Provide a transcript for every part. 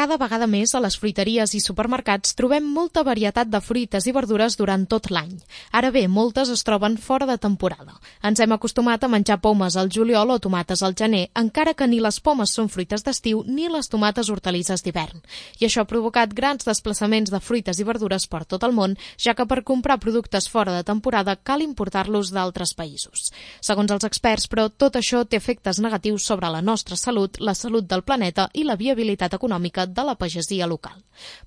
Cada vegada més a les fruiteries i supermercats trobem molta varietat de fruites i verdures durant tot l'any. Ara bé, moltes es troben fora de temporada. Ens hem acostumat a menjar pomes al juliol o tomates al gener, encara que ni les pomes són fruites d'estiu ni les tomates hortalisses d'hivern. I això ha provocat grans desplaçaments de fruites i verdures per tot el món, ja que per comprar productes fora de temporada cal importar-los d'altres països. Segons els experts, però, tot això té efectes negatius sobre la nostra salut, la salut del planeta i la viabilitat econòmica de la pagesia local.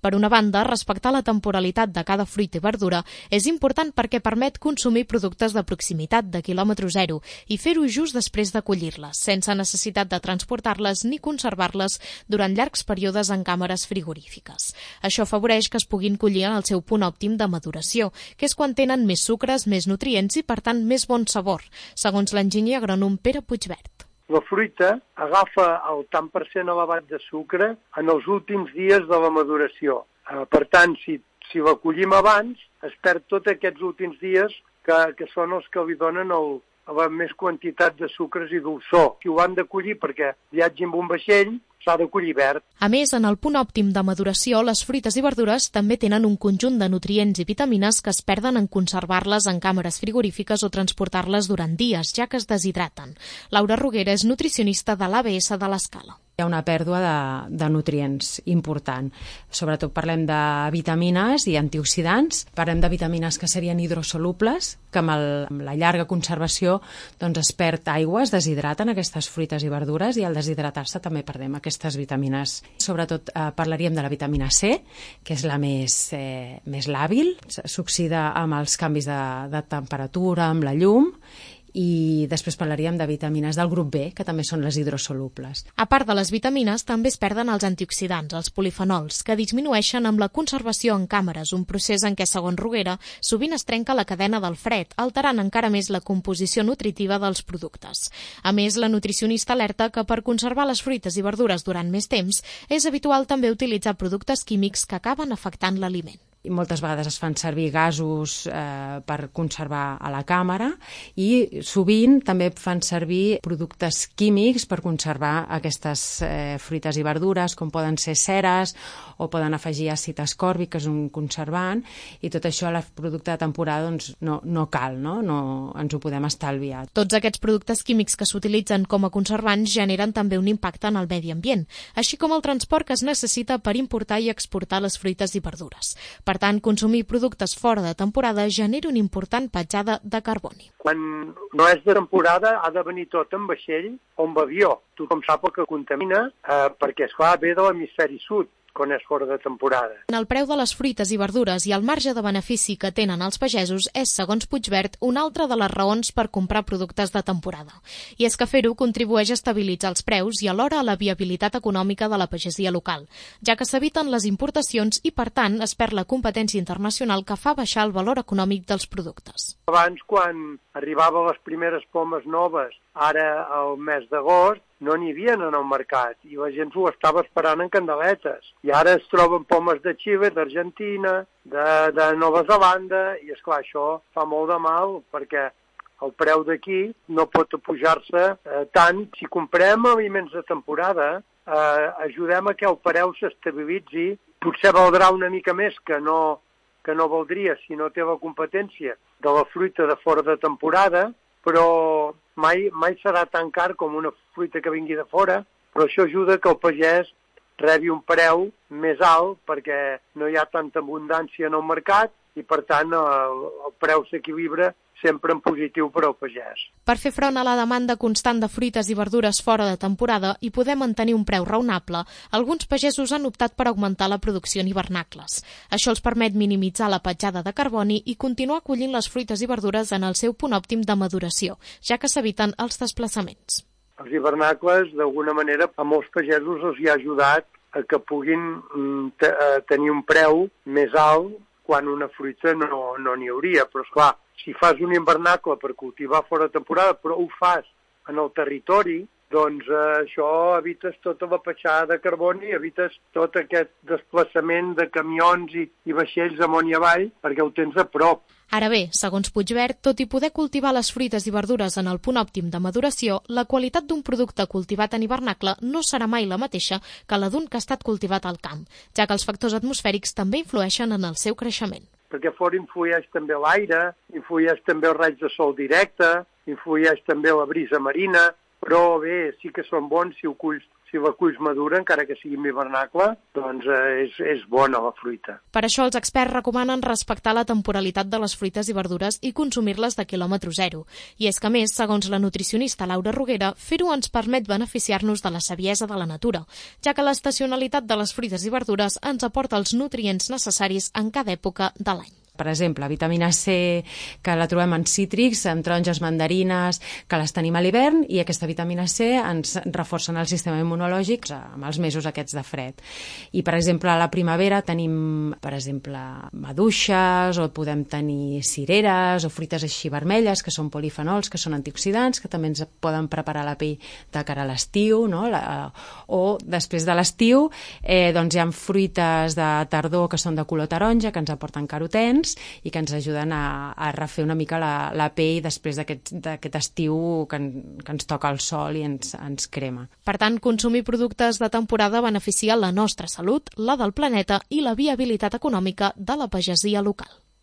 Per una banda, respectar la temporalitat de cada fruita i verdura és important perquè permet consumir productes de proximitat de quilòmetre zero i fer-ho just després de collir-les, sense necessitat de transportar-les ni conservar-les durant llargs períodes en càmeres frigorífiques. Això afavoreix que es puguin collir en el seu punt òptim de maduració, que és quan tenen més sucres, més nutrients i, per tant, més bon sabor, segons l'enginyer agrònom Pere Puigvert. La fruita agafa el tant per cent elevat de sucre en els últims dies de la maduració. Per tant, si la collim abans, es perd tots aquests últims dies que són els que li donen la més quantitat de sucres i dolçor. Si ho han de collir perquè viatgi amb un vaixell, s'ha de collir verd. A més, en el punt òptim de maduració, les fruites i verdures també tenen un conjunt de nutrients i vitamines que es perden en conservar-les en càmeres frigorífiques o transportar-les durant dies, ja que es deshidraten. Laura Roguera és nutricionista de l'ABS de l'Escala. Hi ha una pèrdua de nutrients important. Sobretot parlem de vitamines i antioxidants. Parlem de vitamines que serien hidrosolubles, que amb la llarga conservació es perd aigua, es deshidraten aquestes fruites i verdures i al deshidratar-se també perdem aquestes vitamines. Sobretot parlaríem de la vitamina C, que és la més làbil, s'oxida amb els canvis de temperatura, amb la llum, i després parlaríem de vitamines del grup B, que també són les hidrosolubles. A part de les vitamines, també es perden els antioxidants, els polifenols, que disminueixen amb la conservació en càmeres, un procés en què, segons Roguera, sovint es trenca la cadena del fred, alterant encara més la composició nutritiva dels productes. A més, la nutricionista alerta que per conservar les fruites i verdures durant més temps és habitual també utilitzar productes químics que acaben afectant l'aliment. I moltes vegades es fan servir gasos per conservar a la càmera i sovint també fan servir productes químics per conservar aquestes fruites i verdures, com poden ser ceres o poden afegir àcid ascòrbic, que és un conservant, i tot això a la producte de temporada no cal, no ens ho podem estalviar. Tots aquests productes químics que s'utilitzen com a conservants generen també un impacte en el medi ambient, així com el transport que es necessita per importar i exportar les fruites i verdures. Per tant, consumir productes fora de temporada genera una important petjada de carboni. Quan no és de temporada ha de venir tot en vaixell o en avió. Tothom sap el que contamina perquè, esclar, ve de l'hemisferi sud, quan és fora de temporada. El preu de les fruites i verdures i el marge de benefici que tenen els pagesos és, segons Puigvert, una altra de les raons per comprar productes de temporada. I és que fer-ho contribueix a estabilitzar els preus i alhora a la viabilitat econòmica de la pagesia local, ja que s'eviten les importacions i, per tant, es perd la competència internacional que fa baixar el valor econòmic dels productes. Abans, quan arribaven les primeres pomes noves, ara al mes d'agost, no n'hi havia en el mercat i la gent s'ho estava esperant en candeletes. I ara es troben pomes de Xile, d'Argentina, de Nova Zelanda i, esclar, això fa molt de mal perquè el preu d'aquí no pot pujar-se tant. Si comprem aliments de temporada, ajudem a que el preu s'estabilitzi. Potser valdrà una mica més que no valdria si no té la competència de la fruita de fora de temporada, però mai serà tan car com una fruita que vingui de fora, però això ajuda que el pagès rebi un preu més alt perquè no hi ha tanta abundància en el mercat i, per tant, el preu s'equilibra sempre en positiu per al pagès. Per fer front a la demanda constant de fruites i verdures fora de temporada i poder mantenir un preu raonable, alguns pagesos han optat per augmentar la producció en hivernacles. Això els permet minimitzar la petjada de carboni i continuar collint les fruites i verdures en el seu punt òptim de maduració, ja que s'eviten els desplaçaments. Els hivernacles, d'alguna manera, a molts pagesos els hi ha ajudat a que puguin tenir un preu més alt quan una fruita no n'hi hauria. Però, esclar, si fas un hivernacle per cultivar fora de temporada, però ho fas en el territori, doncs això evites tota la petjada de carboni, evites tot aquest desplaçament de camions i vaixells amunt i avall, perquè ho tens a prop. Ara bé, segons Puigverd, tot i poder cultivar les fruites i verdures en el punt òptim de maduració, la qualitat d'un producte cultivat en hivernacle no serà mai la mateixa que la d'un que ha estat cultivat al camp, ja que els factors atmosfèrics també influeixen en el seu creixement. Perquè fora influeix també l'aire, influeix també els raigs de sol directe, influeix també la brisa marina, però bé, sí que són bons si la culls madura, encara que sigui en hivernacle, doncs és bona la fruita. Per això els experts recomanen respectar la temporalitat de les fruites i verdures i consumir-les de quilòmetre zero. I és que, a més, segons la nutricionista Laura Roguera, fer-ho ens permet beneficiar-nos de la saviesa de la natura, ja que l'estacionalitat de les fruites i verdures ens aporta els nutrients necessaris en cada època de l'any. Per exemple, vitamina C, que la trobem en cítrics, en taronges, mandarines, que les tenim a l'hivern, i aquesta vitamina C ens reforcen el sistema immunològic amb els mesos aquests de fred. I, per exemple, a la primavera tenim, per exemple, maduixes, o podem tenir cireres, o fruites així vermelles, que són polifenols, que són antioxidants, que també ens poden preparar la pell de cara a l'estiu, no? O després de l'estiu, doncs hi ha fruites de tardor que són de color taronja, que ens aporten carotens, i que ens ajuden a refer una mica la pell després d'aquest estiu que ens toca el sol i ens crema. Per tant, consumir productes de temporada beneficia la nostra salut, la del planeta i la viabilitat econòmica de la pagesia local.